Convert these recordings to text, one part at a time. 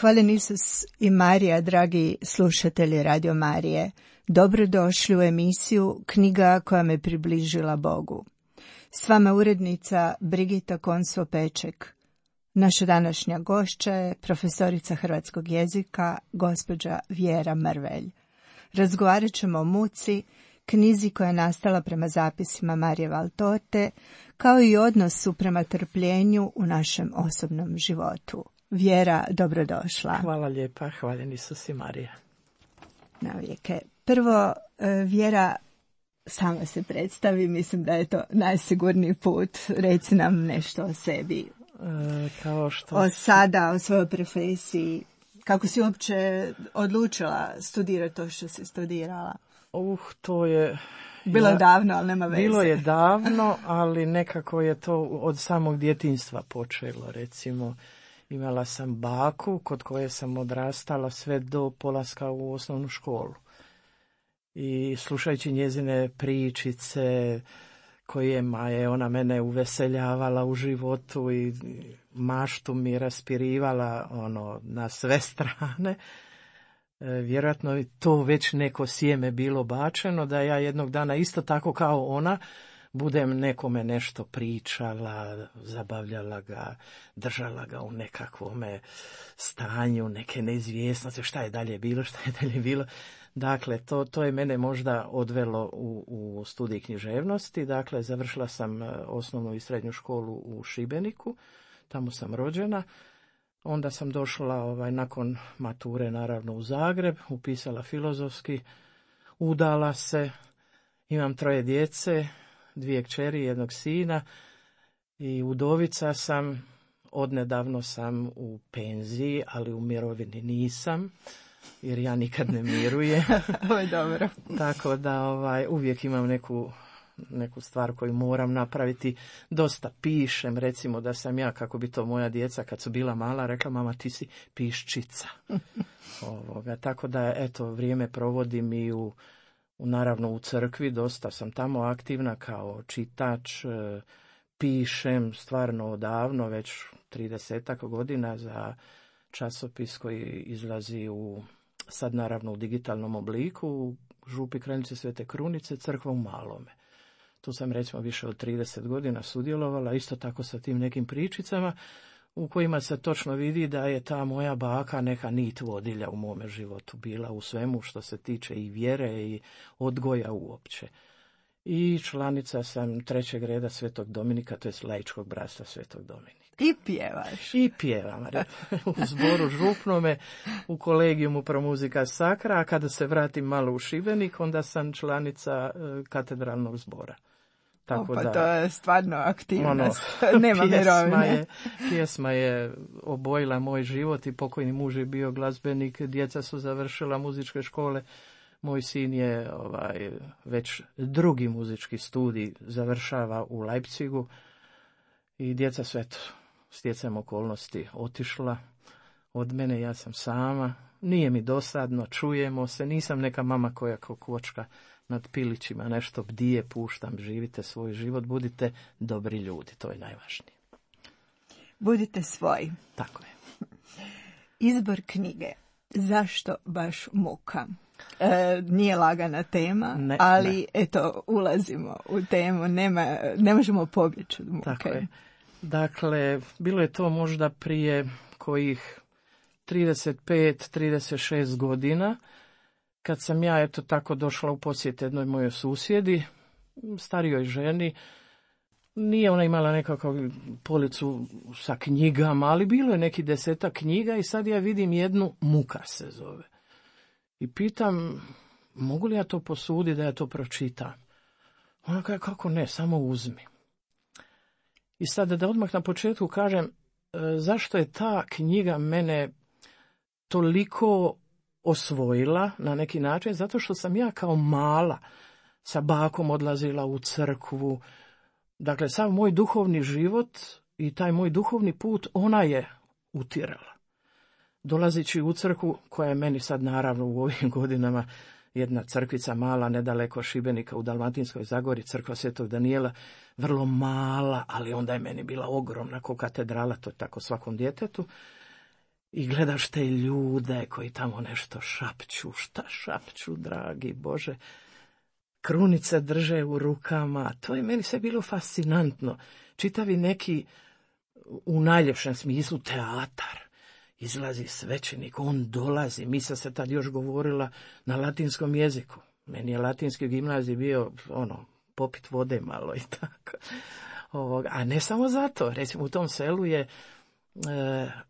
Hvaljen Isus i Marija, dragi slušatelji Radio Marije. Dobrodošli u emisiju Knjiga koja me približila Bogu. S vama urednica Brigita Konso-Peček. Naša današnja gošća je profesorica hrvatskog jezika, gospođa Vjera Mrvelj. Razgovarat ćemo o muci, knjizi koja je nastala prema zapisima Marije Valtorte, kao i odnosu prema trpljenju u našem osobnom životu. Vjera, dobrodošla. Hvala lijepa, hvaljen Isus i Marija. Navijeke. Prvo, Vjera, sama se predstavi, mislim da je to najsigurniji put. Reci nam nešto o sebi. Kao što... O svojoj profesiji. Kako si uopće odlučila studirati to što si studirala? To je... Bilo je davno, ali nema veze. Bilo je davno, ali nekako je to od samog djetinjstva počelo, recimo. Imala sam baku kod koje sam odrastala sve do polaska u osnovnu školu. I slušajući njezine pričice kojima je ona mene uveseljavala u životu i maštu mi raspirivala na sve strane, vjerojatno je to već neko sjeme bilo bačeno da ja jednog dana isto tako kao ona budem nekome nešto pričala, zabavljala ga, držala ga u nekakvome stanju, neke neizvjesnosti, šta je dalje bilo. Dakle, to je mene možda odvelo u studij književnosti. Dakle, završila sam osnovnu i srednju školu u Šibeniku, tamo sam rođena. Onda sam došla nakon mature naravno u Zagreb, upisala filozofski, udala se, imam 3 djece, 2 kćeri, 1 sina i udovica sam. Odnedavno sam u penziji, ali u mirovini nisam, jer ja nikad ne mirujem. Ovo je dobro. Tako da uvijek imam neku stvar koju moram napraviti. Dosta pišem, recimo da sam ja, kako bi to moja djeca kad su bila mala, rekla mama ti si piščica. Tako da eto, vrijeme provodim i naravno u crkvi, dosta sam tamo aktivna kao čitač, pišem stvarno odavno, već 30 godina za časopis koji izlazi sad naravno u digitalnom obliku, u Župi Kraljice Svete Krunice, Crkva u Malome. Tu sam recimo više od 30 godina sudjelovala, isto tako sa tim nekim pričicama u kojima se točno vidi da je ta moja baka neka nit vodilja u mome životu bila u svemu što se tiče i vjere i odgoja uopće. I članica sam 3. reda Svetog Dominika, to je laičkog bratstva Svetog Dominika. I pjevaš. I pjevam. U zboru župnome, u kolegijumu Pro Musica Sacra, a kada se vratim malo u Šibenik, onda sam članica katedralnog zbora. Tako da, to je stvarno aktivnost. Nema mirovine. Pjesma je obojila moj život i pokojni muž je bio glazbenik, djeca su završila muzičke škole. Moj sin je već 2. muzički studij završava u Leipzigu i djeca su stjecajem okolnosti otišla od mene, ja sam sama. Nije mi dosadno, čujemo se, nisam neka mama koja kao kvočka nad pilićima nešto bdije, puštam, živite svoj život, budite dobri ljudi, to je najvažnije. Budite svoji. Tako je. Izbor knjige. Zašto baš muka? Nije lagana tema, ali eto, ulazimo u temu, ne možemo pobjeći od muke. Tako je. Dakle, bilo je to možda prije kojih 35-36 godina, kad sam ja tako došla u posjet jednoj mojoj susjedi, starijoj ženi. Nije ona imala nekakav policu sa knjigama, ali bilo je neki 10 knjiga i sad ja vidim jednu, Muka se zove. I pitam, mogu li ja to posuditi da ja to pročitam? Ona kaže, kako ne, samo uzmi. I sad da odmah na početku kažem, zašto je ta knjiga mene toliko osvojila na neki način? Zato što sam ja kao mala sa bakom odlazila u crkvu. Dakle, sav moj duhovni život i taj moj duhovni put ona je utirala. Dolazići u crkvu, koja je meni sad naravno u ovim godinama jedna crkvica mala, nedaleko Šibenika u Dalmatinskoj Zagori, crkva Svetog Danijela, vrlo mala, ali onda je meni bila ogromna ko katedrala, to je tako svakom djetetu. i gledaš te ljude koji tamo nešto šapću. Šta šapću, dragi Bože? Krunice drže u rukama. To je meni sve bilo fascinantno. Čitavi neki, u najljepšem smislu, teatar. Izlazi svećenik, on dolazi. Misa se tad još govorila na latinskom jeziku. Meni je latinski gimnazij bio, popit vode malo i tako. A ne samo zato. Recimo, u tom selu je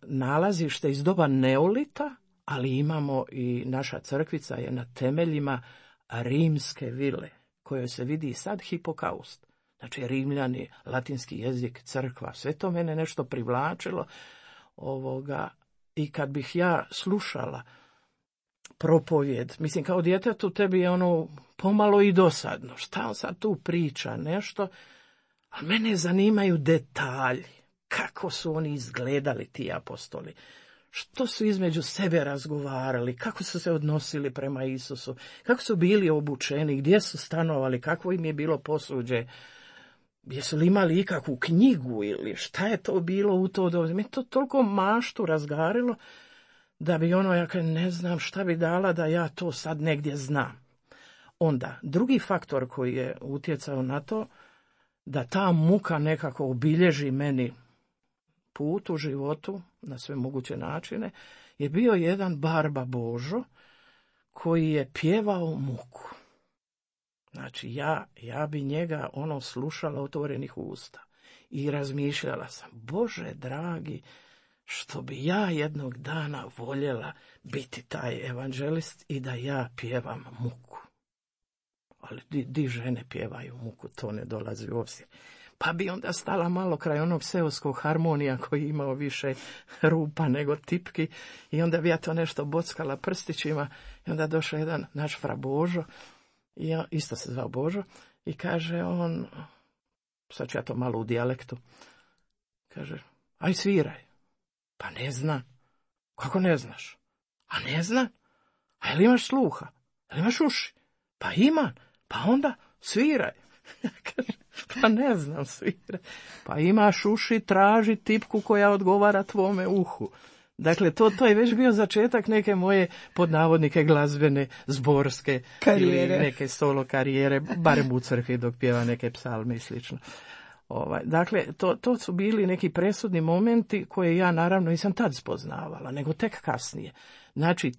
nalazište iz doba neolita, ali imamo i naša crkvica je na temeljima rimske vile, kojoj se vidi i sad hipokaust. Znači, Rimljani, latinski jezik, crkva, sve to mene nešto privlačilo. I kad bih ja slušala propovjed, mislim, kao djetetu tebi je pomalo i dosadno. Šta on sad tu priča, nešto? A mene zanimaju detalji. Kako su oni izgledali, ti apostoli? Što su između sebe razgovarali? Kako su se odnosili prema Isusu? Kako su bili obučeni? Gdje su stanovali? Kakvo im je bilo posuđe? Jesu li imali ikakvu knjigu ili šta je to bilo u to doba? Me to toliko maštu razgarilo da bi ja ne znam šta bi dala da ja to sad negdje znam. Onda, drugi faktor koji je utjecao na to, da ta muka nekako obilježi meni put u životu na sve moguće načine, je bio jedan Barba Božo koji je pjevao muku. Znači, ja bi njega slušala otvorenih usta i razmišljala sam, Bože dragi, što bi ja jednog dana voljela biti taj evanđelist i da ja pjevam muku. Ali di žene pjevaju muku, to ne dolazi u obzir. Pa bi onda stala malo kraj onog seoskog harmonija koji je imao više rupa nego tipki i onda bi ja to nešto bockala prstićima i onda došao jedan naš fra Božo, i ja, isto se zvao Božo, i kaže on, sad ću ja to malo u dijalektu, kaže, aj sviraj. Pa ne znam. Kako ne znaš? A ne znam. A jel imaš sluha? Jel imaš uši? Pa imam. Pa onda sviraj. Ja kažem, pa ne znam sviraj. Pa imaš uši, traži tipku koja odgovara tvome uhu. Dakle, to je već bio začetak neke moje, pod navodnike, glazbene, zborske karijere. Ili neke solo karijere, barem u crkvi dok pjeva neke psalme i slično. Dakle, to su bili neki presudni momenti koje ja naravno nisam tad spoznavala, nego tek kasnije. Znači,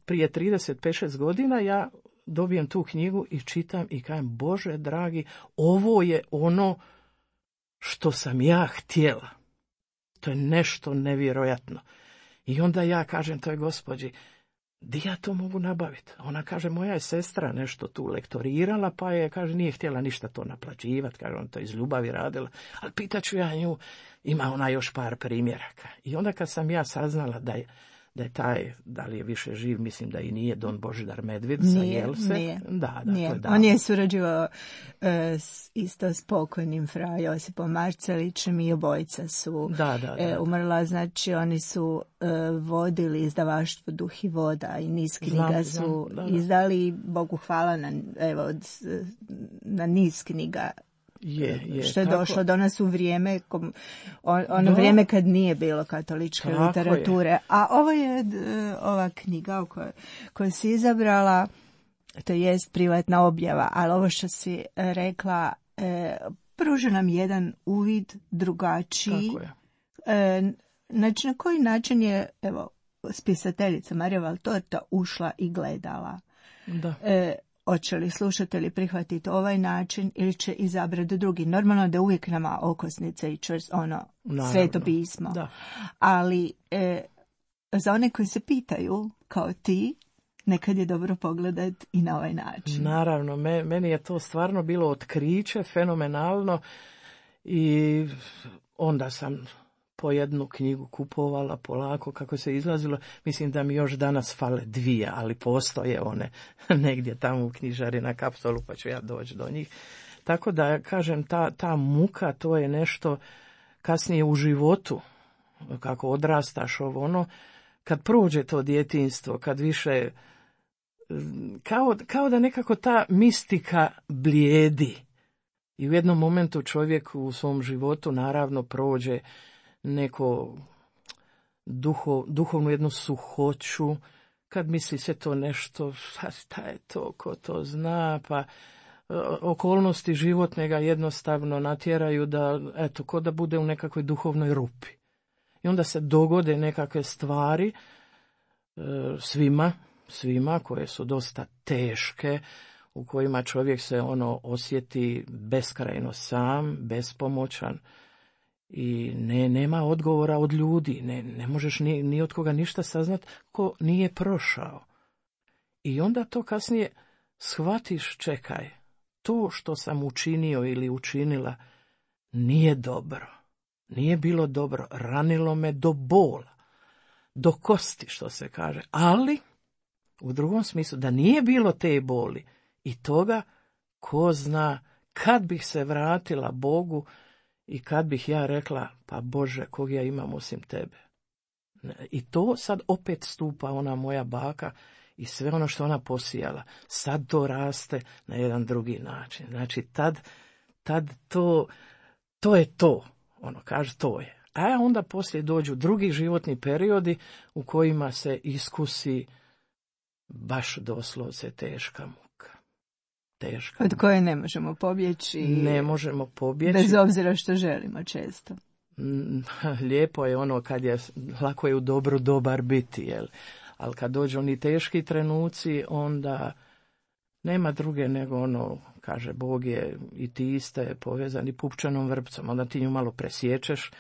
prije 35-6 godina ja dobijem tu knjigu i čitam i kažem, Bože dragi, ovo je ono što sam ja htjela. To je nešto nevjerojatno. I onda ja kažem toj gospođi, di ja to mogu nabaviti? Ona kaže, moja je sestra nešto tu lektorirala, pa je, kaže, nije htjela ništa to naplaćivati, kaže, on to iz ljubavi radila, ali pitaću ja nju, ima ona još par primjeraka. I onda kad sam ja saznala da je taj, da li je više živ, mislim da i nije, Don Božidar Medved sa Jelse. Nije. Da, nije. To je on je surađivao isto s pokojnim fra Josipom Marcelićem i obojica su umrla, znači oni su vodili izdavaštvo Duh i voda i niz knjiga su izdali, Bogu hvala na niz knjiga. Što je došlo do nas u vrijeme, vrijeme kad nije bilo katoličke literature. Je. A ovo je ova knjiga koju si izabrala, to jest privatna objava, ali ovo što si rekla, pruža nam jedan uvid drugačiji. Znači, na koji način je, spisateljica Marija Valtorta ušla i gledala. Da. Hoće li slušatelji prihvatiti ovaj način ili će izabrati drugi. Normalno da uvijek nama okosnica i sveto pismo. Da. Ali za one koji se pitaju, kao ti, nekad je dobro pogledati i na ovaj način. Naravno, meni je to stvarno bilo otkriće, fenomenalno, i onda sam po jednu knjigu kupovala polako kako se izlazilo. Mislim da mi još danas fale 2, ali postoje one negdje tamo u knjižari na Kaptolu, pa ću ja doći do njih. Tako da, kažem, ta muka, to je nešto kasnije u životu, kako odrastaš kad prođe to djetinjstvo, kad više, kao da nekako ta mistika blijedi. I u jednom momentu čovjek u svom životu naravno prođe neko duhovnu jednu suhoću, kad misli sve to nešto, šta je to, ko to zna, pa okolnosti životne ga jednostavno natjeraju da, eto, ko da bude u nekakvoj duhovnoj rupi. I onda se dogode nekakve stvari svima koje su dosta teške, u kojima čovjek se osjeti beskrajno sam, bespomoćan i nema odgovora od ljudi, ne možeš ni od koga ništa saznat ko nije prošao. I onda to kasnije shvatiš, čekaj, to što sam učinio ili učinila nije dobro, nije bilo dobro, ranilo me do bola, do kosti, što se kaže, ali u drugom smislu da nije bilo te boli i toga, ko zna kad bih se vratila Bogu i kad bih ja rekla, pa Bože, kog ja imam osim tebe. I to sad opet stupa ona moja baka i sve ono što ona posijala, sad to raste na jedan drugi način. Znači, tad to je to, kaže to je. A onda poslije dođu drugi životni periodi u kojima se iskusi baš doslovce teška muka. Od koje ne možemo pobjeći. Ne možemo pobjeći. Bez obzira što želimo često. Lijepo je kad je, lako je u dobru dobar biti, jel? Ali kad dođu oni teški trenuci, onda nema druge nego kaže Bog je i ti ste povezani pupčanom vrpcom, onda ti nju malo presječeš,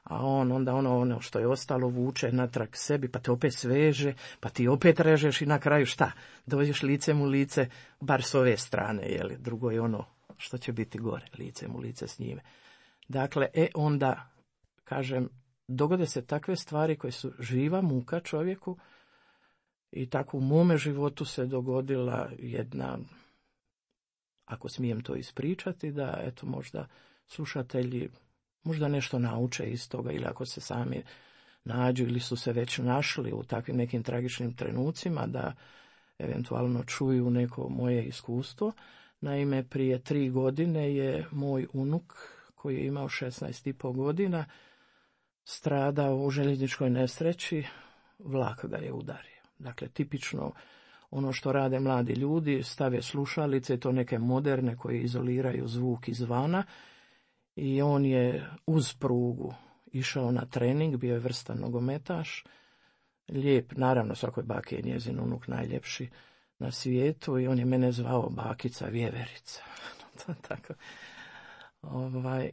a onda ono što je ostalo vuče natrag sebi, pa te opet sveže, pa ti opet režeš i na kraju šta? Dođeš licem u lice, bar s ove strane, jeli? Drugo je što će biti gore, licem u lice s njime. Dakle, onda, kažem, dogode se takve stvari koje su živa muka čovjeku i tako u mome životu se dogodila jedna, ako smijem to ispričati, da eto možda slušatelji možda nešto nauče iz toga ili ako se sami nađu ili su se već našli u takvim nekim tragičnim trenucima da eventualno čuju neko moje iskustvo. Naime, prije 3 godine je moj unuk koji je imao 16,5 godina stradao u željezničkoj nesreći, vlak ga je udario. Dakle, tipično ono što rade mladi ljudi, stave slušalice, to neke moderne koje izoliraju zvuk izvana, i on je uz prugu išao na trening, bio je vrstan nogometaš, lijep, naravno svakoj baki je njezin unuk najljepši na svijetu i on je mene zvao bakica Vjeverica. Tako.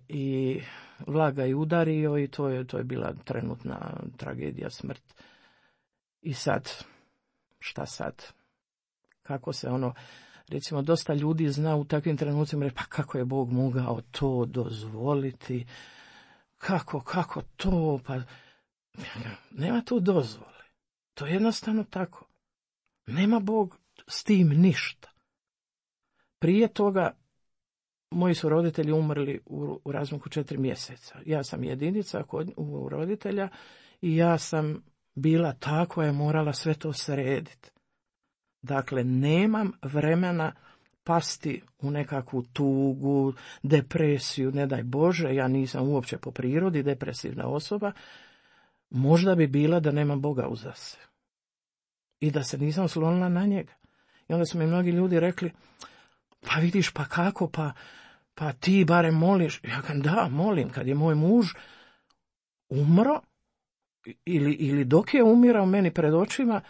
I vlak ga je udario i to je bila trenutna tragedija, smrt. I sad, šta sad? Kako se recimo, dosta ljudi zna u takvim trenucima reći, pa kako je Bog mogao to dozvoliti? Kako to? Pa nema tu dozvole. To je jednostavno tako. Nema Bog s tim ništa. Prije toga moji su roditelji umrli u razmaku 4 mjeseca. Ja sam jedinica u roditelja i ja sam bila ta koja je morala sve to srediti. Dakle, nemam vremena pasti u nekakvu tugu, depresiju, ne daj Bože, ja nisam uopće po prirodi depresivna osoba, možda bi bila da nema Boga uza se. I da se nisam oslonila na njega. I onda su mi mnogi ljudi rekli, pa vidiš, pa kako, pa ti barem moliš. Ja kažem, da, molim, kad je moj muž umro, ili dok je umirao meni pred očima,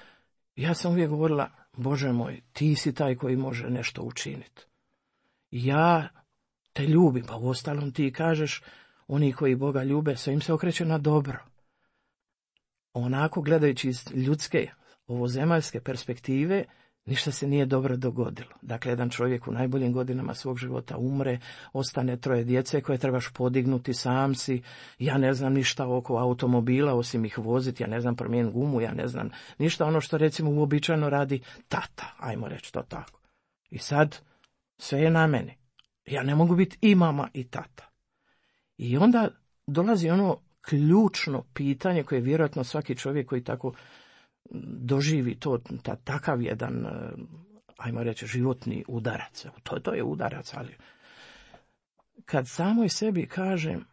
ja sam uvijek govorila, Bože moj, ti si taj koji može nešto učiniti. Ja te ljubim, pa uostalom ti kažeš, oni koji Boga ljube, sve im se okreće na dobro. Onako, gledajući iz ljudske, ovozemaljske perspektive, ništa se nije dobro dogodilo. Dakle, jedan čovjek u najboljim godinama svog života umre, ostane 3 djece koje trebaš podignuti, sam si, ja ne znam ništa oko automobila, osim ih voziti, ja ne znam promijeniti gumu, ja ne znam ništa ono što recimo uobičajeno radi tata, ajmo reći to tako. I sad sve je na meni. Ja ne mogu biti i mama i tata. I onda dolazi ono ključno pitanje koje vjerojatno svaki čovjek koji tako doživi takav jedan, ajmo reći, životni udarac. To je udarac, ali kad samoj sebi kažem,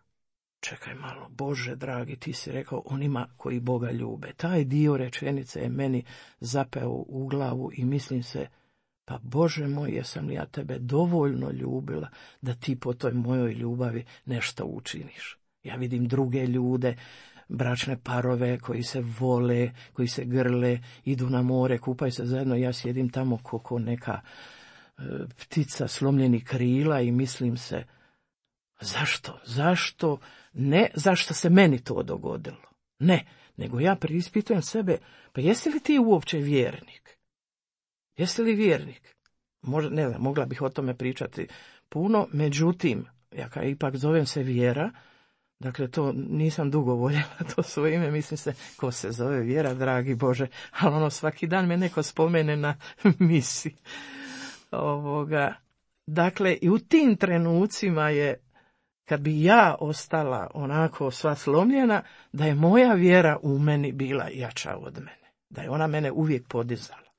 čekaj malo, Bože dragi, ti si rekao onima koji Boga ljube. Taj dio rečenice je meni zapeo u glavu i mislim se, pa Bože moj, jesam li ja tebe dovoljno ljubila da ti po toj mojoj ljubavi nešto učiniš. Ja vidim druge ljude, bračne parove koji se vole, koji se grle, idu na more, kupaju se zajedno, ja sjedim tamo kako neka ptica slomljenih krila i mislim se, zašto, ne zašto se meni to dogodilo, ne, nego ja preispitujem sebe, pa jesi li ti uopće vjernik? Jesi li vjernik? Možda, ne znam, mogla bih o tome pričati puno, međutim, ja kao ipak zovem se Vjera, dakle to nisam dugo voljela to svoje ime, mislim se, ko se zove Vjera, dragi Bože, ali ono svaki dan me neko spomene na misi. Dakle, i u tim trenucima je, kad bi ja ostala onako sva slomljena, da je moja vjera u meni bila jača od mene, da je ona mene uvijek podizala.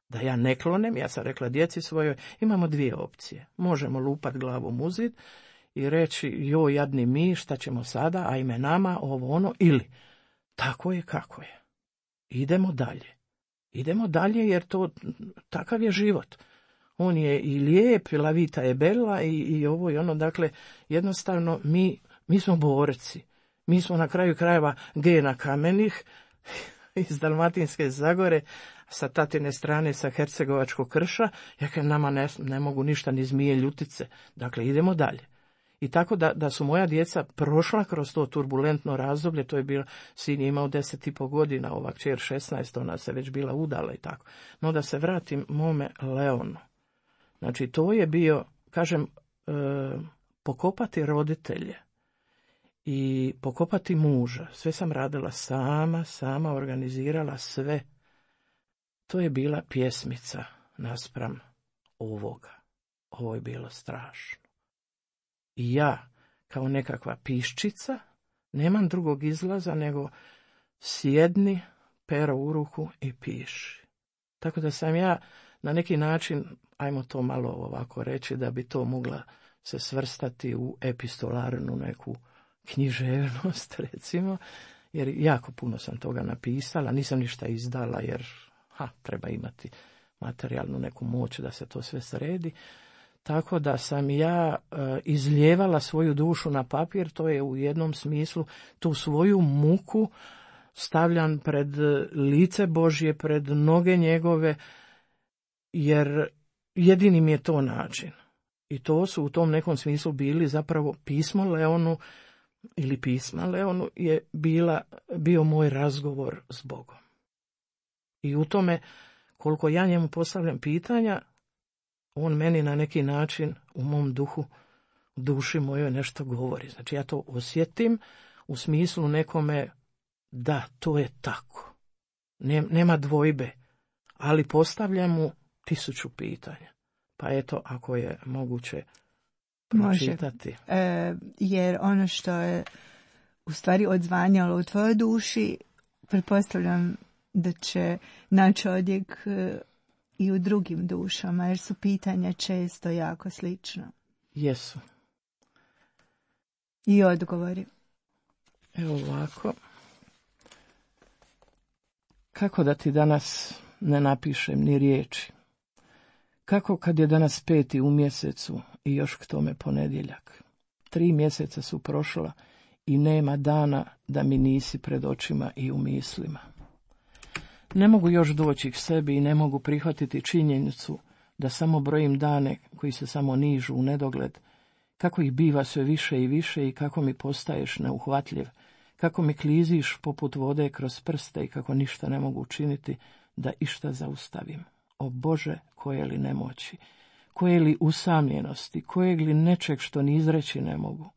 Da ja ne klonem, ja sam rekla djeci svojoj, imamo dvije opcije. Možemo lupat glavom u zid i reći, joj jadni mi, šta ćemo sada, ajme nama, ovo ono, ili tako je kako je. Idemo dalje. Idemo dalje jer to, takav je život. On je i lijep, i la vita je bella i ovo i ono, dakle, jednostavno mi smo borci. Mi smo na kraju krajeva Gena Kamenih iz Dalmatinske Zagore, sa tatine strane, sa Hercegovačkog krša, jer nama ne mogu ništa ni zmije ljutice. Dakle, idemo dalje. I tako da su moja djeca prošla kroz to turbulentno razdoblje, to je bilo, sin je imao 10,5 godina, ova kćer 16, ona se već bila udala i tako. No da se vratim mome Leonu. Znači, to je bio, kažem, pokopati roditelje i pokopati muža. Sve sam radila sama organizirala sve. To je bila pjesmica naspram ovoga. Ovo je bilo strašno. I ja, kao nekakva piščica, nemam drugog izlaza nego sjedni, pero u ruku i piši. Tako da sam ja na neki način, ajmo to malo ovako reći, da bi to mogla se svrstati u epistolarnu neku književnost, recimo, jer jako puno sam toga napisala, nisam ništa izdala jer treba imati materijalnu neku moć da se to sve sredi. Tako da sam ja izljevala svoju dušu na papir, to je u jednom smislu tu svoju muku stavljam pred lice Božje, pred noge njegove, jer jedini mi je to način. I to su u tom nekom smislu bili zapravo pismo Leonu ili pisma Leonu je bio moj razgovor s Bogom. I u tome, koliko ja njemu postavljam pitanja, on meni na neki način u mom duši mojoj nešto govori. Znači ja to osjetim u smislu nekome, da, to je tako. Nema dvojbe, ali postavljam mu 1000 pitanja. Pa eto, ako je moguće pročitati. Može, jer ono što je u stvari odzvanjalo u tvojoj duši, pretpostavljam da će naći odjek i u drugim dušama, jer su pitanja često jako slična. Jesu. I odgovori. Evo ovako. Kako da ti danas ne napišem ni riječi? Kako kad je danas 5. u mjesecu i još k tome ponedjeljak? 3 mjeseca su prošla i nema dana da mi nisi pred očima i u mislima. Ne mogu još doći k sebi i ne mogu prihvatiti činjenicu da samo brojim dane koji se samo nižu u nedogled, kako ih biva sve više i više i kako mi postaješ neuhvatljiv, kako mi kliziš poput vode kroz prste i kako ništa ne mogu učiniti da išta zaustavim. O Bože, koje li nemoći, koje li usamljenosti, kojeg li nečeg što ni izreći ne mogu.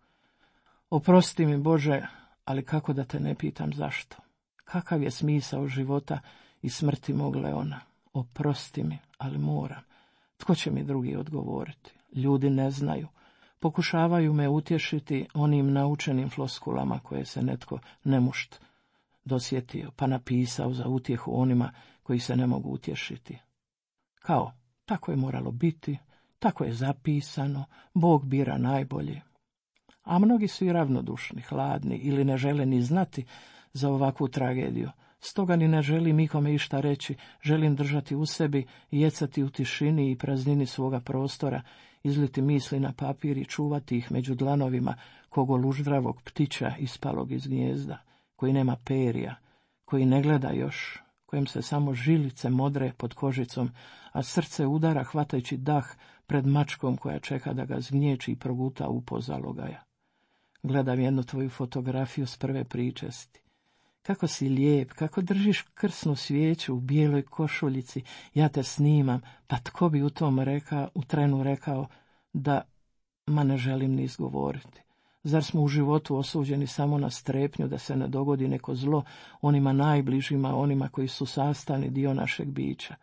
Oprosti mi, Bože, ali kako da te ne pitam zašto? Kakav je smisao života i smrti mog Leona? Oprosti mi, ali moram. Tko će mi drugi odgovoriti? Ljudi ne znaju. Pokušavaju me utješiti onim naučenim floskulama koje se netko nemušt dosjetio, pa napisao za utjehu onima koji se ne mogu utješiti. Kao, tako je moralo biti, tako je zapisano, Bog bira najbolje. A mnogi su i ravnodušni, hladni ili ne žele ni znati za ovakvu tragediju. Stoga ni ne želim ikome išta reći, želim držati u sebi, jecati u tišini i praznini svoga prostora, izliti misli na papir i čuvati ih među dlanovima kogoluždravog ptića ispalog iz gnijezda, koji nema perja, koji ne gleda još, kojem se samo žilice modre pod kožicom, a srce udara hvatajući dah pred mačkom koja čeka da ga zgnječi i proguta u pozalogaja. Gledam jednu tvoju fotografiju s prve pričesti. Kako si lijep, kako držiš krsnu svijeću u bijeloj košuljici, ja te snimam, pa tko bi u trenu rekao da, ma ne želim ni izgovoriti. Zar smo u životu osuđeni samo na strepnju da se ne dogodi neko zlo onima najbližima, onima koji su sastavni dio našeg bića?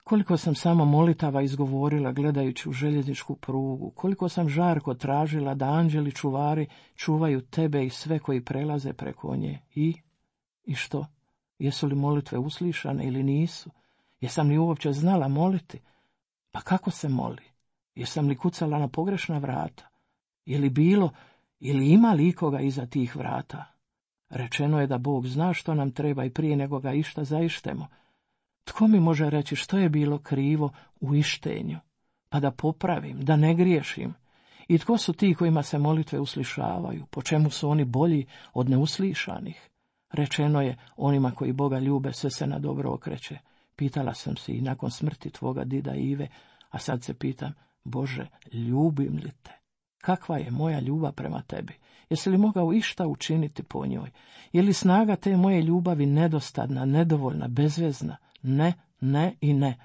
Koliko sam samo molitava izgovorila gledajući u željezničku prugu, koliko sam žarko tražila da anđeli čuvari čuvaju tebe i sve koji prelaze preko nje. I što? Jesu li molitve uslišane ili nisu? Jesam li uopće znala moliti? Pa kako se moli? Jesam li kucala na pogrešna vrata? Je li bilo ili ima li ikoga iza tih vrata? Rečeno je da Bog zna što nam treba i prije nego ga išta zaištemo. Tko mi može reći što je bilo krivo u ištenju, pa da popravim, da ne griješim? I tko su ti kojima se molitve uslišavaju? Po čemu su oni bolji od neuslišanih? Rečeno je, onima koji Boga ljube sve se na dobro okreće. Pitala sam se i nakon smrti tvoga dida Ive, a sad se pitam, Bože, ljubim li te? Kakva je moja ljubav prema tebi? Jesi li mogao išta učiniti po njoj? Je li snaga te moje ljubavi nedostatna, nedovoljna, bezvezna? Ne, ne i ne.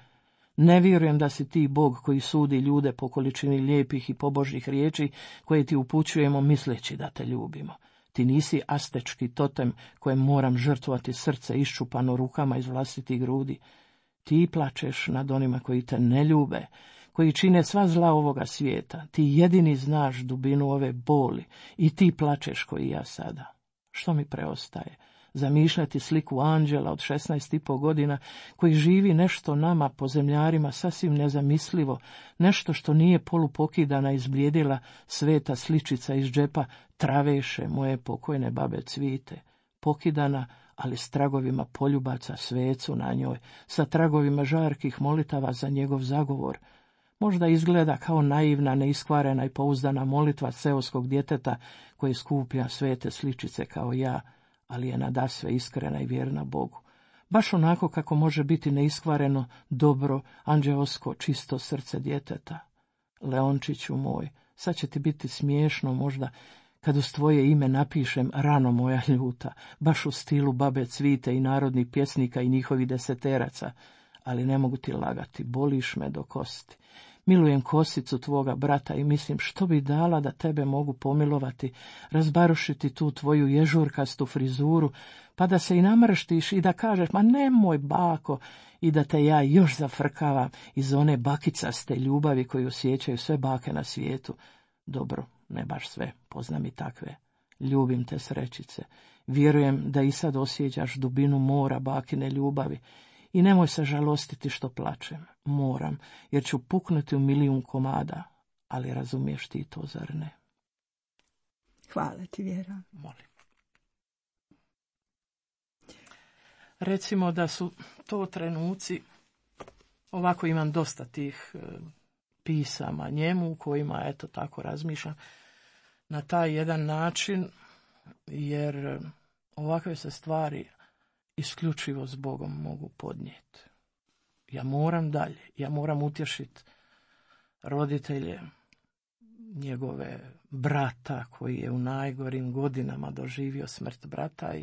Ne vjerujem da si ti Bog koji sudi ljude po količini lijepih i pobožnih riječi koje ti upućujemo misleći da te ljubimo. Ti nisi astečki totem kojem moram žrtvovati srce iščupano rukama iz vlastitih grudi. Ti plačeš nad onima koji te ne ljube, koji čine sva zla ovoga svijeta. Ti jedini znaš dubinu ove boli i ti plačeš koji ja sada. Što mi preostaje? Zamišljati sliku anđela od 16,5 godina koji živi nešto nama po zemljarima sasvim nezamislivo, nešto što nije polupokidana izblijedila sveta sličica iz džepa traveše moje pokojne babe Cvite, pokidana, ali s tragovima poljubaca svecu na njoj, sa tragovima žarkih molitava za njegov zagovor. Možda izgleda kao naivna, neiskvarena i pouzdana molitva seoskog djeteta koje skuplja svete sličice kao ja, ali je nadasve iskrena i vjerna Bogu. Baš onako kako može biti neiskvareno, dobro, anđeosko, čisto srce djeteta. Leončiću moj, sad će ti biti smiješno možda kad uz tvoje ime napišem rano moja ljuta, baš u stilu babe Cvite i narodnih pjesnika i njihovih deseteraca, ali ne mogu ti lagati, boliš me do kosti. Milujem kosicu tvoga brata i mislim što bi dala da tebe mogu pomilovati, razbarušiti tu tvoju ježurkastu frizuru, pa da se i namrštiš i da kažeš, ma nemoj bako, i da te ja još zafrkavam iz one bakicaste ljubavi koju osjećaju sve bake na svijetu. Dobro, ne baš sve, poznam i takve. Ljubim te, srećice. Vjerujem da i sad osjećaš dubinu mora bakine ljubavi. I nemoj se žalostiti što plačem. Moram, jer ću puknuti u milijun komada. Ali razumiješ ti to, zar ne? Hvala ti, Vjera. Molim. Recimo da su to trenuci, ovako imam dosta tih pisama njemu u kojima, eto tako razmišljam, na taj jedan način, jer ovakve se stvari isključivo s Bogom mogu podnijeti. Ja moram dalje, ja moram utješiti roditelje njegove brata koji je u najgorim godinama doživio smrt brata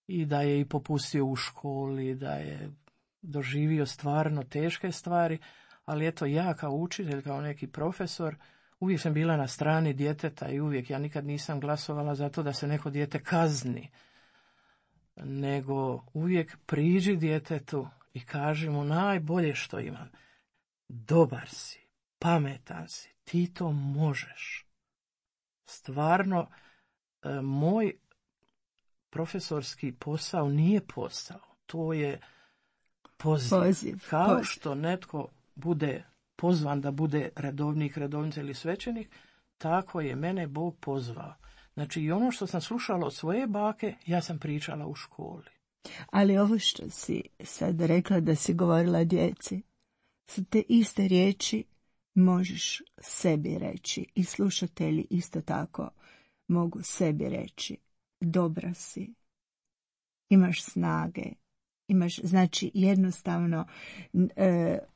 i da je i popustio u školi, da je doživio stvarno teške stvari, ali eto ja kao učitelj, kao neki profesor, uvijek sam bila na strani djeteta i uvijek ja nikad nisam glasovala za to da se neko dijete kazni, nego uvijek priđi djetetu i kaži mu najbolje što imam. Dobar si, pametan si, ti to možeš. Stvarno, moj profesorski posao nije posao, to je poziv. Kao što netko bude pozvan da bude redovnik, redovnica ili svećenik, tako je mene Bog pozvao. Znači i ono što sam slušala od svoje bake, ja sam pričala u školi. Ali ovo što si sad rekla da si govorila djeci, su te iste riječi možeš sebi reći i slušatelji isto tako mogu sebi reći. Dobra si, imaš snage, znači jednostavno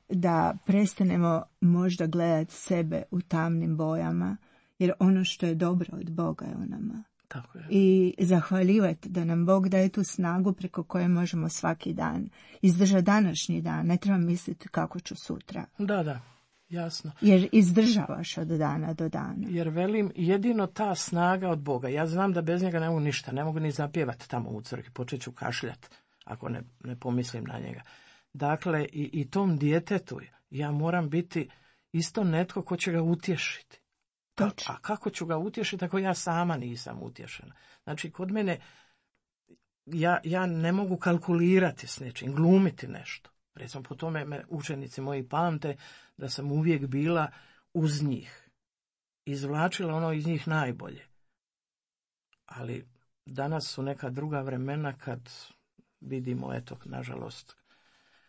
da prestanemo možda gledati sebe u tamnim bojama, jer ono što je dobro od Boga je u nama. Tako je. I zahvaljivati da nam Bog daje tu snagu preko koje možemo svaki dan izdržati današnji dan. Ne treba misliti kako ću sutra. Da, jasno. Jer izdržavaš od dana do dana. Jer velim, jedino ta snaga od Boga. Ja znam da bez njega ne mogu ništa, ne mogu ni zapjevati tamo u crkvi, počet ću kašljati ako ne pomislim na njega. Dakle, i tom djetetu ja moram biti isto netko ko će ga utješiti. A kako ću ga utješiti ako ja sama nisam utješena? Znači, kod mene ja ne mogu kalkulirati s nečim, glumiti nešto. Recimo, po tome me učenici moji pamte da sam uvijek bila uz njih. Izvlačila ono iz njih najbolje. Ali danas su neka druga vremena kad vidimo, eto, nažalost,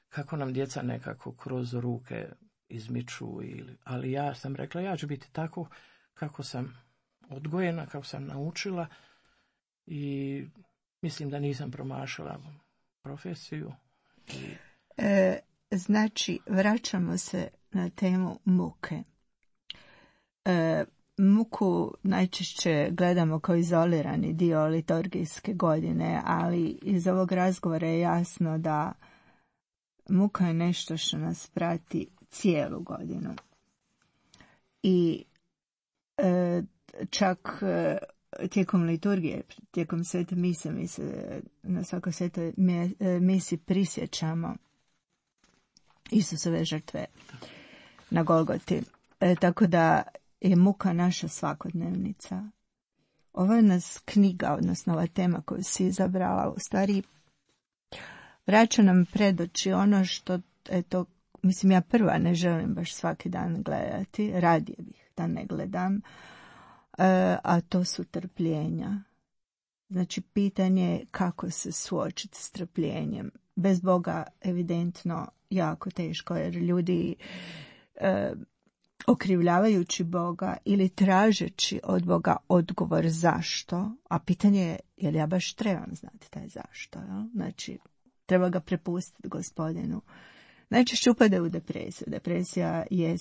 kako nam djeca nekako kroz ruke izmiču. Ali ja sam rekla, ja ću biti tako kako sam odgojena, kako sam naučila i mislim da nisam promašala profesiju. Znači, vraćamo se na temu muke. Muku najčešće gledamo kao izolirani dio liturgijske godine, ali iz ovog razgovora je jasno da muka je nešto što nas prati cijelu godinu. I čak tijekom liturgije, tijekom svete mise, mi se na svakoj svetoj misi prisjećamo Isusove žrtve na Golgoti. Tako da je muka naša svakodnevnica. Ovo je nas knjiga, odnosno ova tema koju si izabrala, u stvari vraća nam pred oči ono što, eto, mislim, ja prva ne želim baš svaki dan gledati, radije bih da ne gledam, a to su trpljenja. Znači, pitanje je kako se suočiti s trpljenjem. Bez Boga evidentno jako teško, jer ljudi okrivljavajući Boga ili tražeći od Boga odgovor zašto, a pitanje je li ja baš trebam znati taj zašto. Ja? Znači, treba ga prepustiti Gospodinu. Najčešće upade u depresiju. Depresija je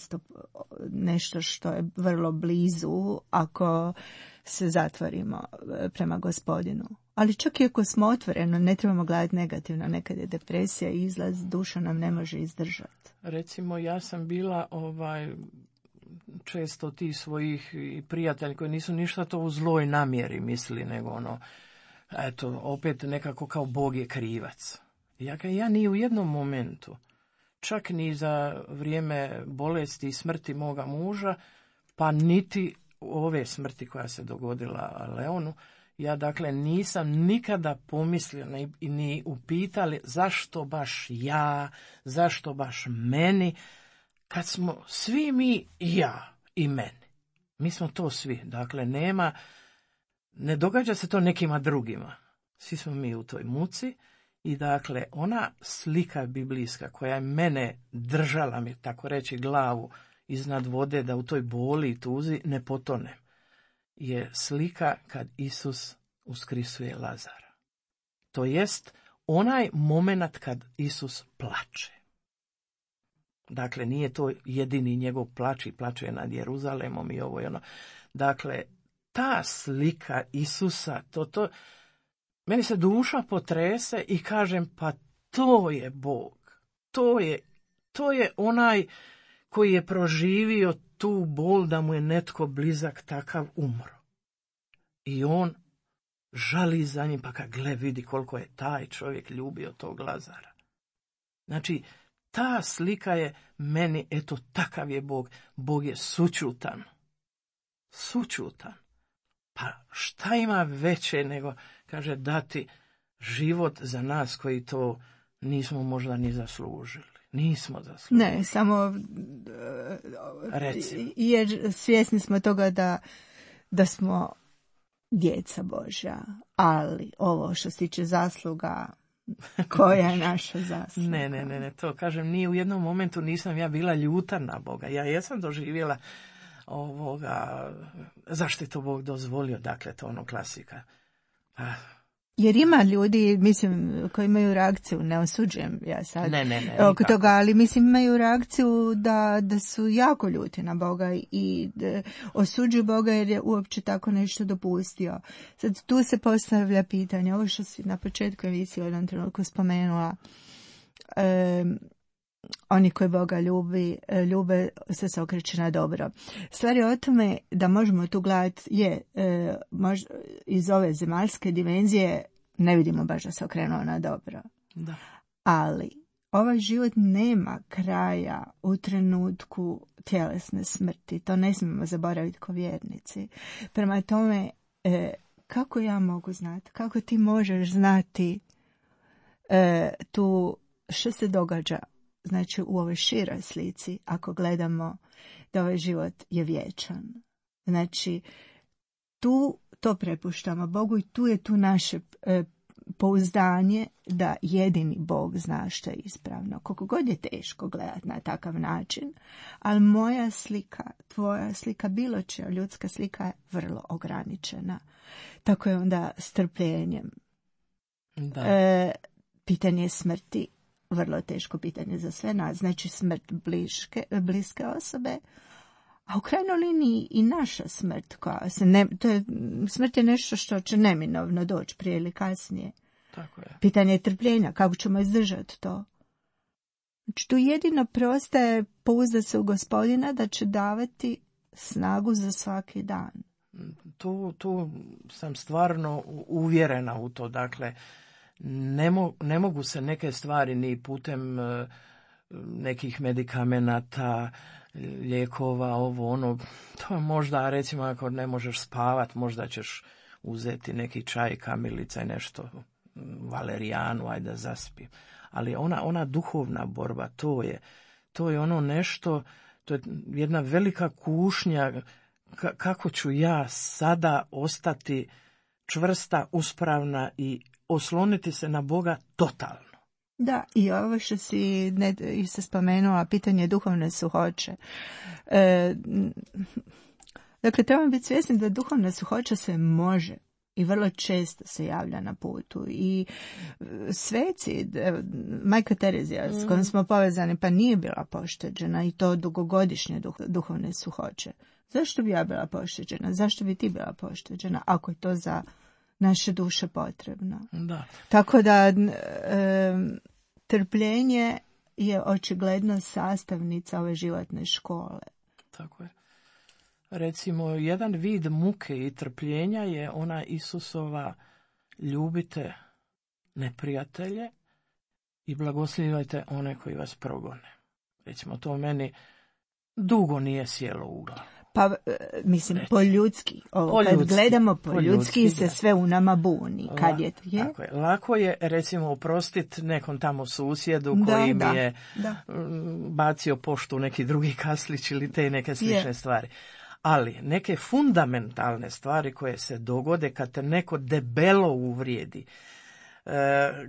nešto što je vrlo blizu ako se zatvorimo prema Gospodinu. Ali čak i ako smo otvoreno, ne trebamo gledati negativno. Nekad je depresija izlaz, duša nam ne može izdržati. Recimo, ja sam bila često ti svojih prijatelji koji nisu ništa to u zloj namjeri mislili, nego eto, opet nekako kao Bog je krivac. Ja ni u jednom momentu, čak ni za vrijeme bolesti i smrti moga muža, pa niti ove smrti koja se dogodila Leonu, ja dakle nisam nikada pomislio ni upitali zašto baš ja, zašto baš meni, kad smo svi mi i ja i meni. Mi smo to svi, dakle ne događa se to nekima drugima. Svi smo mi u toj muci. I dakle, ona slika biblijska koja je mene držala, mi tako reći, glavu iznad vode da u toj boli i tuzi ne potonem, je slika kad Isus uskrisuje Lazara. To jest onaj moment kad Isus plače. Dakle, nije to jedini njegov plač i plače nad Jeruzalemom i ovo i ono. Dakle, ta slika Isusa, meni se duša potrese i kažem, pa to je Bog. To je onaj koji je proživio tu bol da mu je netko blizak takav umro. I on žali za njim, pa kad vidi koliko je taj čovjek ljubio tog Lazara. Znači, ta slika je meni, eto, takav je Bog. Bog je sućutan. Sućutan. Pa šta ima veće nego, kaže, dati život za nas koji to nismo možda ni zaslužili. Nismo zaslužili. Ne, samo Recimo. jer svjesni smo toga da smo djeca Božja, ali ovo što se tiče zasluga, koja je naša zasluga? Ne, to kažem, ni u jednom momentu nisam ja bila ljuta na Boga. Ja jesam doživjela zašto je to Bog dozvolio, dakle, to ono klasika. Jer ima ljudi, mislim, koji imaju reakciju, ne osuđujem ja sad oko toga, ali mislim imaju reakciju da su jako ljuti na Boga i osuđuju Boga jer je uopće tako nešto dopustio. Sad tu se postavlja pitanje, ovo što si na početku emisije u jednom trenutku spomenula, oni koji Boga ljube se okreće na dobro. Stvar je o tome da možemo tu gledati iz ove zemaljske dimenzije ne vidimo baš da se okrenuo na dobro. Da. Ali ovaj život nema kraja u trenutku tjelesne smrti. To ne smijemo zaboraviti kao vjernici. Prema tome, kako ja mogu znati? Kako ti možeš znati tu što se događa? Znači u ovoj široj slici, ako gledamo da ovaj život je vječan. Znači, tu to prepuštamo Bogu i tu je tu naše pouzdanje da jedini Bog zna što je ispravno. Koliko god je teško gledati na takav način, ali moja slika, tvoja slika, bilo čija ljudska slika je vrlo ograničena. Tako je onda strpljenjem. Pitanje smrti, vrlo teško pitanje za sve nas, znači smrt bliske osobe, a u krajnjoj liniji i naša smrt koja smrt je nešto što će neminovno doći prije ili kasnije. Tako je. Pitanje je trpljenja, kako ćemo izdržati to. Znači tu jedino preostaje pouzdati se u Gospodina da će davati snagu za svaki dan. Tu sam stvarno uvjerena u to, dakle, ne mogu se neke stvari ni putem nekih medikamenata, lijekova, to je možda, recimo, ako ne možeš spavat, možda ćeš uzeti neki čaj, kamilica i nešto, valerijanu, ajde da zaspi. Ali ona duhovna borba, to je ono nešto, to je jedna velika kušnja, kako ću ja sada ostati čvrsta, uspravna i osloniti se na Boga totalno. Da, i ovo što si se spomenula, pitanje duhovne suhoće. Dakle, trebamo biti svjesni da duhovna suhoća se može i vrlo često se javlja na putu. I sveci, majka Terezija s kojom smo povezani, pa nije bila pošteđena i to dugogodišnje duhovne suhoće. Zašto bi ja bila pošteđena? Zašto bi ti bila pošteđena ako je to za naše duše potrebno? Da. Tako da trpljenje je očigledno sastavnica ove životne škole. Tako je. Recimo, jedan vid muke i trpljenja je ona Isusova ljubite neprijatelje i blagoslivajte one koji vas progone. Recimo, to meni dugo nije sjelo u glavu. Pa, mislim, po ljudski. Kad gledamo po ljudski se sve u nama buni. Kad je? Tako je. Lako je, recimo, oprostiti nekom tamo susjedu koji mi je bacio poštu u neki drugi kaslić ili te neke slične stvari. Ali neke fundamentalne stvari koje se dogode kad te neko debelo uvrijedi,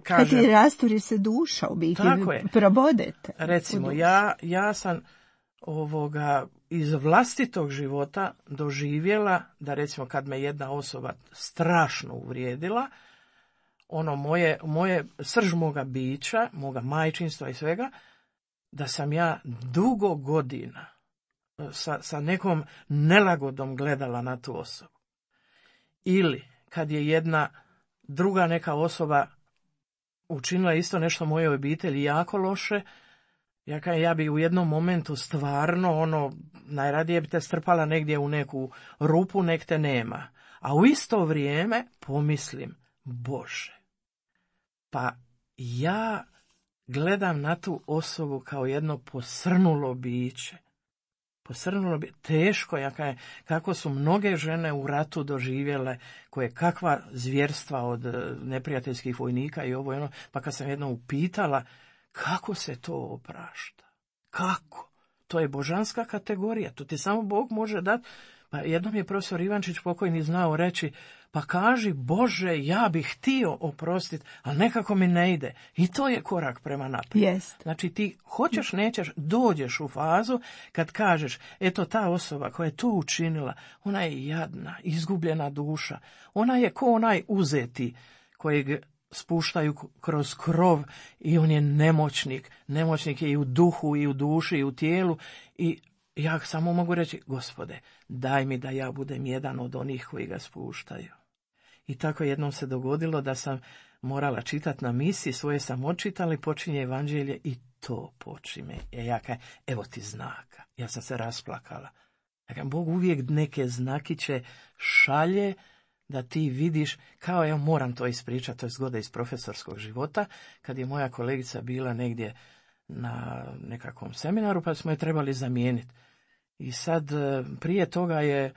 kad ti rasturi se duša u biti, probodete. Recimo, ja sam iz vlastitog života doživjela da, recimo, kad me jedna osoba strašno uvrijedila, moje srž moga bića, moga majčinstva i svega, da sam ja dugo godina sa nekom nelagodom gledala na tu osobu. Ili kad je jedna druga neka osoba učinila isto nešto mojoj obitelji jako loše, ja bi u jednom momentu stvarno najradije bi te strpala negdje u neku rupu, nek te nema. A u isto vrijeme pomislim, Bože, pa ja gledam na tu osobu kao jedno posrnulo biće. Teško, kako su mnoge žene u ratu doživjele, koje kakva zvjerstva od neprijateljskih vojnika i ovo, pa kad sam jedno upitala Kako se to oprašta? Kako? To je božanska kategorija, to ti samo Bog može dati. Pa jednom je profesor Ivančić pokojni znao reći, pa kaži Bože, ja bih htio oprostiti, ali nekako mi ne ide. I to je korak prema naprijed. Jest. Znači ti hoćeš, nećeš, dođeš u fazu kad kažeš, eto ta osoba koja je to učinila, ona je jadna, izgubljena duša. Ona je ko onaj uzeti kojeg spuštaju kroz krov i on je nemoćnik. Nemoćnik je i u duhu, i u duši, i u tijelu. I ja samo mogu reći, Gospode, daj mi da ja budem jedan od onih koji ga spuštaju. I tako jednom se dogodilo da sam morala čitati na misi, svoje sam očitala i počinje evanđelje i to počime. Ja kažem, evo ti znaka. Ja sam se rasplakala. Ja kažem, Bog uvijek neke znakiće šalje da ti vidiš, kao ja moram to ispričati, to je zgoda iz profesorskog života, kad je moja kolegica bila negdje na nekakvom seminaru, pa smo je trebali zamijeniti. I sad prije toga je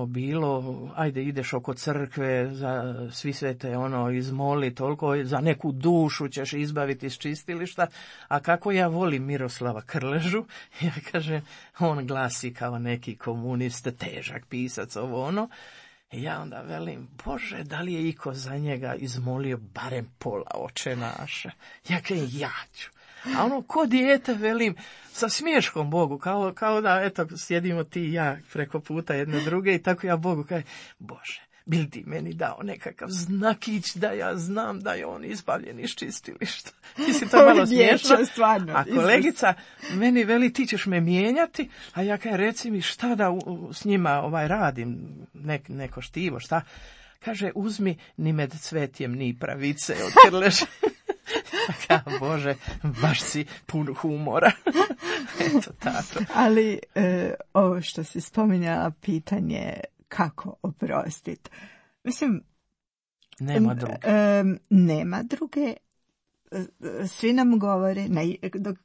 bilo, ajde ideš oko crkve, za svi svete izmoli, toliko za neku dušu ćeš izbaviti iz čistilišta, a kako ja volim Miroslava Krležu, ja kažem, on glasi kao neki komunist, težak pisac, i ja onda velim, Bože, da li je iko za njega izmolio barem pola Oče naše? Ja kažem, ja ću. A ko dijete, velim, sa smiješkom Bogu, kao da, eto, sjedimo ti i ja preko puta jedne druge i tako ja Bogu kažem, Bože, bil ti meni dao nekakav znakić da ja znam da je on izbavljen iz čistilišta. Mislim, to je malo smiješno. Stvarno, a kolegica meni veli, ti ćeš me mijenjati, a ja kažem, reci mi šta da s njima radim, neko štivo, šta? Kaže, uzmi ni med cvetjem ni pravice od Krleže. Bože, baš si pun humora. Eto tako. Ali ovo što si spominjala, pitanje kako oprostiti. Mislim, nema druge. Svi nam govore,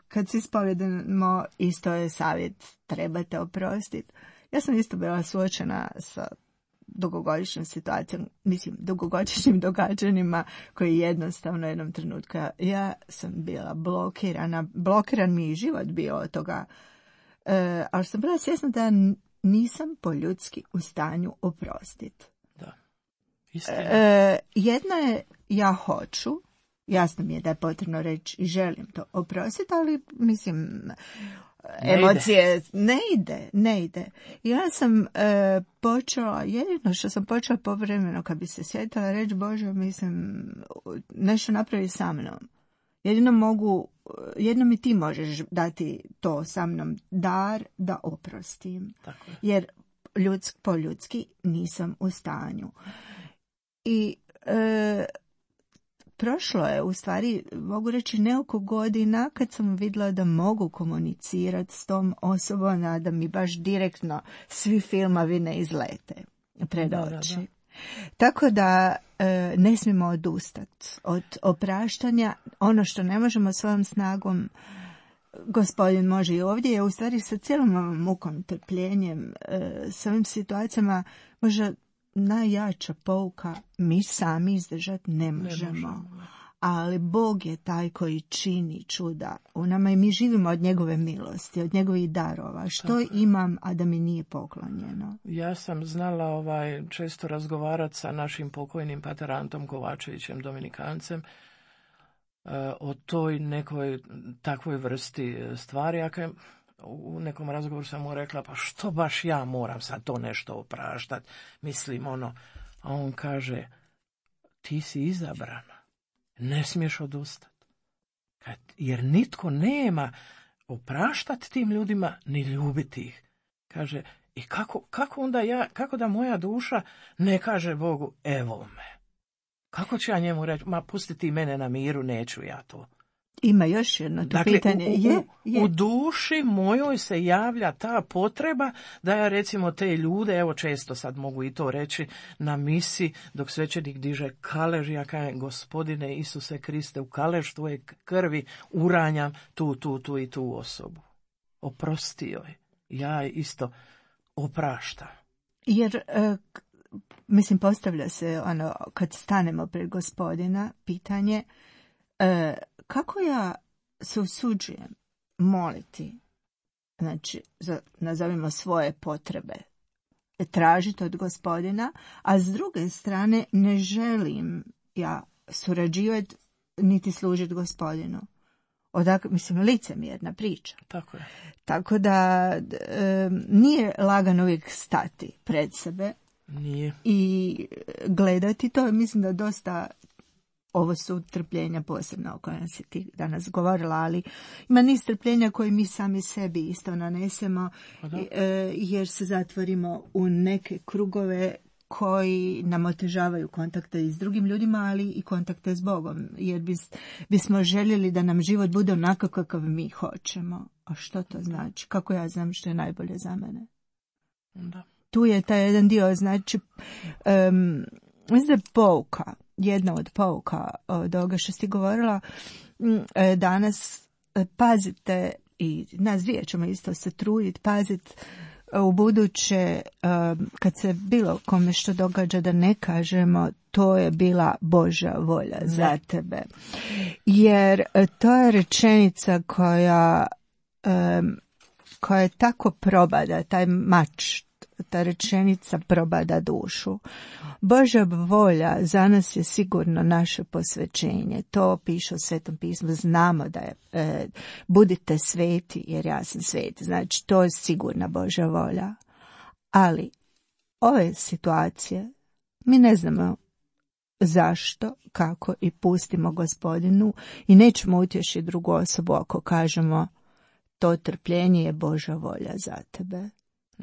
kad se ispovjedamo, isto je savjet, trebate oprostiti. Ja sam isto bila suočena sa dugogodišnjom situacijom, dugogodišnjim događanjima koji jednostavno jednom trenutku, ja sam bila blokirana, blokiran mi je život bio od toga, ali sam bila svjesna da nisam po ljudski u stanju oprostiti. Da. Jedna je, ja hoću, jasno mi je da je potrebno reći i želim to oprostiti, ali emocije ne ide. Ja sam počela, jedino što sam počela povremeno kad bi se sjetila reći, Bože, nešto napravi sa mnom. Jedino mi ti možeš dati to sa mnom, dar da oprostim. Tako je. Jer po ljudski nisam u stanju. I prošlo je, u stvari, mogu reći, nekoliko godina kad sam vidjela da mogu komunicirati s tom osobom, a da mi baš direktno svi filmovi ne izlete pred oči. Da. Tako da ne smijemo odustati od opraštanja. Ono što ne možemo svojom snagom, Gospodin može i ovdje, je u stvari sa cijelom mukom, trpljenjem, s ovim situacijama možda najjača pouka, mi sami izdržati ne možemo. Ali Bog je taj koji čini čuda u nama i mi živimo od njegove milosti, od njegovih darova. Što imam, a da mi nije poklonjeno? Ja sam znala često razgovarati sa našim pokojnim pater Antom Kovačevićem, Dominikancem, o toj nekoj takvoj vrsti stvari. U nekom razgovoru sam mu rekla, pa što baš ja moram sad to nešto opraštati? A on kaže, ti si izabrana, ne smiješ odustati. Jer nitko nema opraštati tim ljudima, ni ljubiti ih. Kaže, i kako onda kako da moja duša ne kaže Bogu, evo me. Kako ću ja njemu reći, ma pusti ti mene na miru, neću ja to. Ima još jedno to pitanje. U duši mojoj se javlja ta potreba da ja recimo te ljude, evo često sad mogu i to reći, na misi dok svećenik diže kalež, ja kažem, Gospodine Isuse Kriste, u kalež tvoje krvi uranjam tu i tu osobu. Oprosti joj. Ja isto opraštam. Jer postavlja se kad stanemo pred Gospodina pitanje, kako ja se usuđujem moliti, znači, nazovimo svoje potrebe, tražiti od Gospodina, a s druge strane ne želim ja surađivati niti služiti Gospodinu. Mislim, licemjerna priča. Tako je. Tako da nije lagano uvijek stati pred sebe. Nije. I gledati to. Mislim da dosta, ovo su trpljenja posebno o kojima si ti danas govorila, ali ima niz trpljenja koje mi sami sebi isto nanesemo, jer se zatvorimo u neke krugove koji nam otežavaju kontakte i s drugim ljudima, ali i kontakte s Bogom, jer bismo željeli da nam život bude onako kakav mi hoćemo. A što to znači? Kako ja znam što je najbolje za mene? Da. Tu je taj jedan dio, znači, mislim da je pouka, jedna od pouka od ovoga što si govorila danas, pazite, i nas dvije ćemo isto se truditi, paziti u buduće, kad se bilo kome što događa, da ne kažemo to je bila Božja volja za tebe. Jer to je rečenica koja je tako probada, taj mač, ta rečenica probada dušu. Božja volja za nas je sigurno naše posvećenje. To piše u Svetom pismu. Znamo da je budite sveti jer ja sam sveti. Znači, to je sigurna Božja volja. Ali ove situacije mi ne znamo zašto, kako i pustimo Gospodinu i nećemo utješiti drugu osobu ako kažemo to trpljenje je Božja volja za tebe.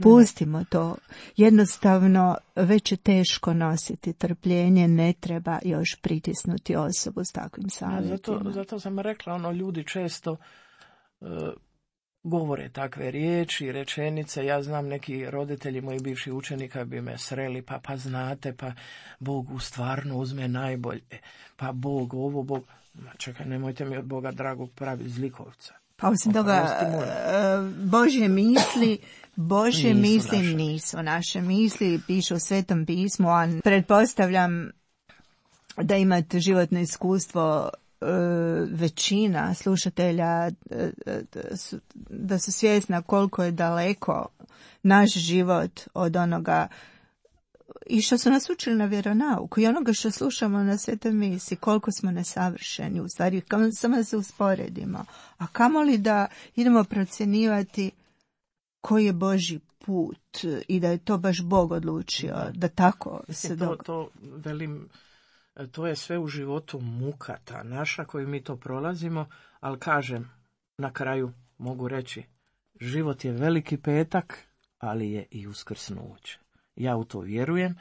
Pustimo to. Jednostavno, već je teško nositi trpljenje, ne treba još pritisnuti osobu s takvim savjetima. Zato sam rekla, ljudi često govore takve riječi, rečenice. Ja znam, neki roditelji moji bivši učenika bi me sreli, pa znate, pa Bog u stvarno uzme najbolje, pa Bog ovo, Bog... Čekaj, nemojte mi od Boga dragog pravi zlikovca. Pa osim toga, Božje misli nisu naše misli, piše u Svetom pismu, a pretpostavljam da imate životno iskustvo, većina slušatelja da su svjesna koliko je daleko naš život od onoga i što su nas učili na vjeronauku i onoga što slušamo na Svetoj misi, koliko smo nesavršeni, u stvari samo da se usporedimo. A kamoli da idemo procjenjivati koji je Božji put i da je to baš Bog odlučio, da tako se događa. To je sve u životu muka ta naša koju mi to prolazimo, ali kažem, na kraju mogu reći, život je veliki petak, ali je i uskrsnuće. Ja u to vjerujem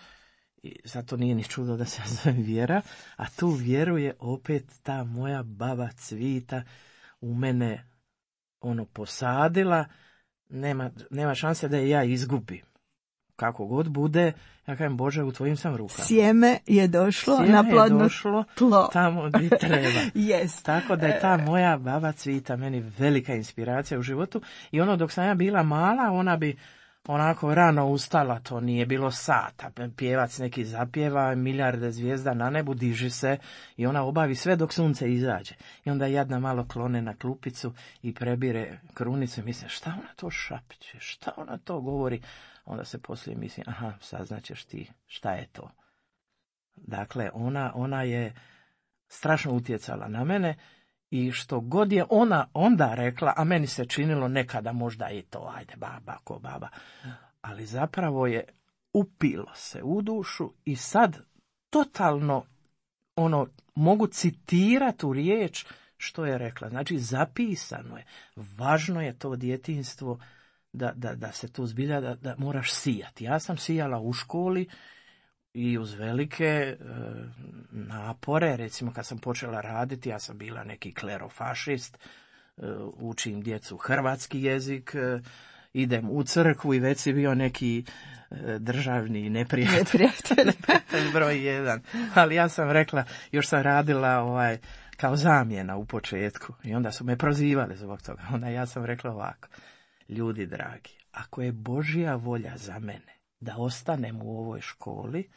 i zato nije ni čudo da se zove vjera, a tu vjeruje opet ta moja baba Cvita u mene posadila, nema šanse da je ja izgubim. Kako god bude, ja kažem, Bože, u tvojim sam rukama. Sjeme je došlo na plodno tlo. Tamo gdje treba. Yes. Tako da je ta moja baba Cvita meni velika inspiracija u životu. I dok sam ja bila mala, ona bi onako rano ustala, to nije bilo sata. Pjevac neki zapjeva, milijarde zvijezda na nebu, diži se i ona obavi sve dok sunce izađe. I onda jadna malo klone na klupicu i prebire krunicu i misle, šta ona to šapće, šta ona to govori. Onda se poslije misli, saznaćeš ti šta je to. Dakle, ona je strašno utjecala na mene i što god je ona onda rekla, a meni se činilo nekada možda i to, ajde baba, ko baba, ali zapravo je upilo se u dušu i sad totalno mogu citirati u riječ što je rekla. Znači, zapisano je. Važno je to djetinjstvo da se tu zbilja, da moraš sijati. Ja sam sijala u školi i uz velike napore, recimo kad sam počela raditi, ja sam bila neki klerofašist, učim djecu hrvatski jezik, idem u crkvu i već si bio neki državni neprijatelj. Broj 1. Ali ja sam rekla, još sam radila kao zamjena u početku i onda su me prozivali zbog toga. Onda ja sam rekla ovako, ljudi dragi, ako je Božja volja za mene da ostanem u ovoj školi,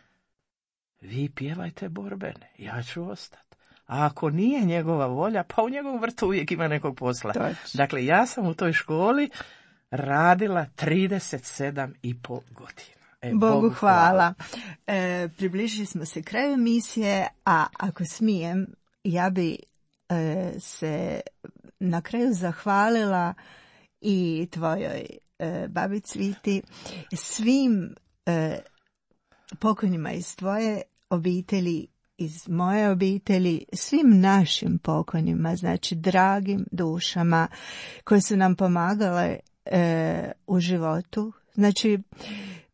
vi pjevajte borbene, ja ću ostati. A ako nije njegova volja, pa u njegovom vrtu uvijek ima nekog posla. Točno. Dakle, ja sam u toj školi radila 37,5 godina. Bogu hvala. Približili smo se kraju emisije, a ako smijem, ja bi se na kraju zahvalila i tvojoj babi Cviti, svim pokojnima iz tvoje obitelji, iz moje obitelji, svim našim pokojnima, znači dragim dušama koje su nam pomagale u životu, znači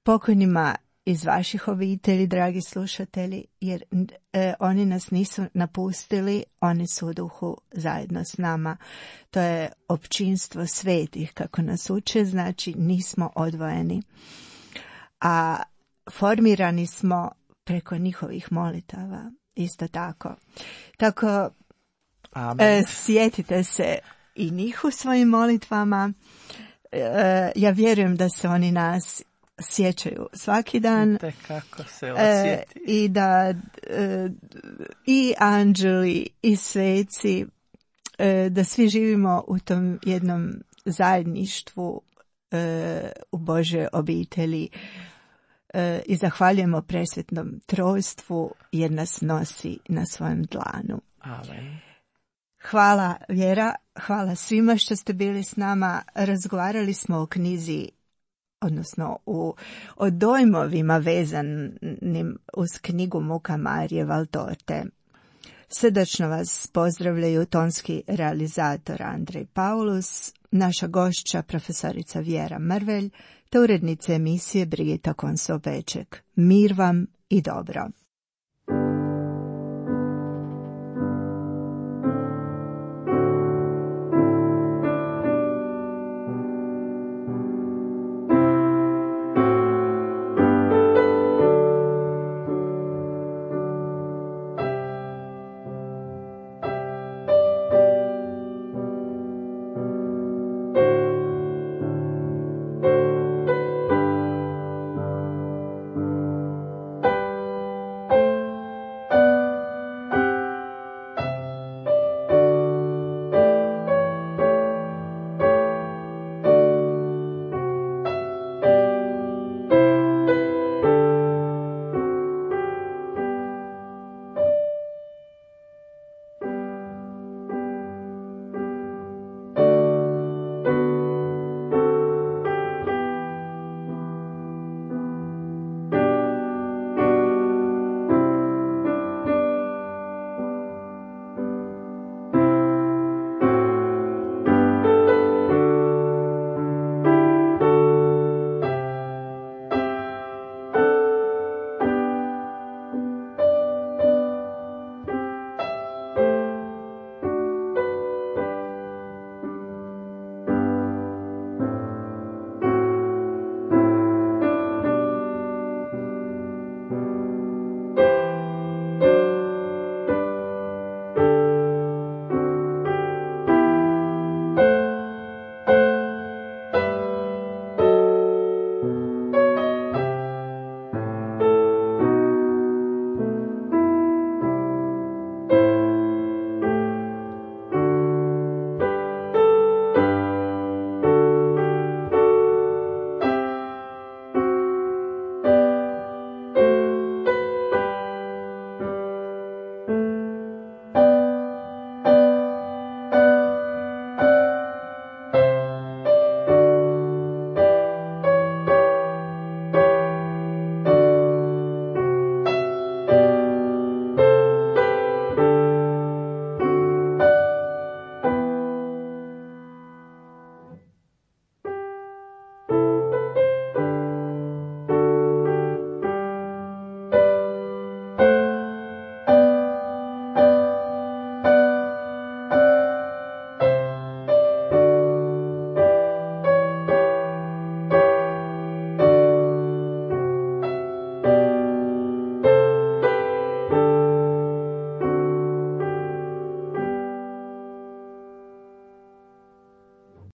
pokojnima iz vaših obitelji, dragi slušatelji, jer oni nas nisu napustili, oni su u duhu zajedno s nama. To je općinstvo svetih, kako nas uče, znači nismo odvojeni. A formirani smo preko njihovih molitava, isto tako. Tako, sjetite se i njih u svojim molitvama. Ja vjerujem da se oni nas sjećaju svaki dan. Kako se osjeti. I da i anđeli i sveci, da svi živimo u tom jednom zajedništvu u Božoj obitelji i zahvaljujemo presvetnom trojstvu jer nas nosi na svojem dlanu. Amen. Hvala Vjera, hvala svima što ste bili s nama. Razgovarali smo o knjizi, odnosno o dojmovima vezanim uz knjigu Muka Marije Valtorte. Srdačno vas pozdravljaju tonski realizator Andrej Paulus, naša gošća profesorica Vjera Mrvelj, te urednica emisije Brigita Konso-Peček. Mir vam i dobro.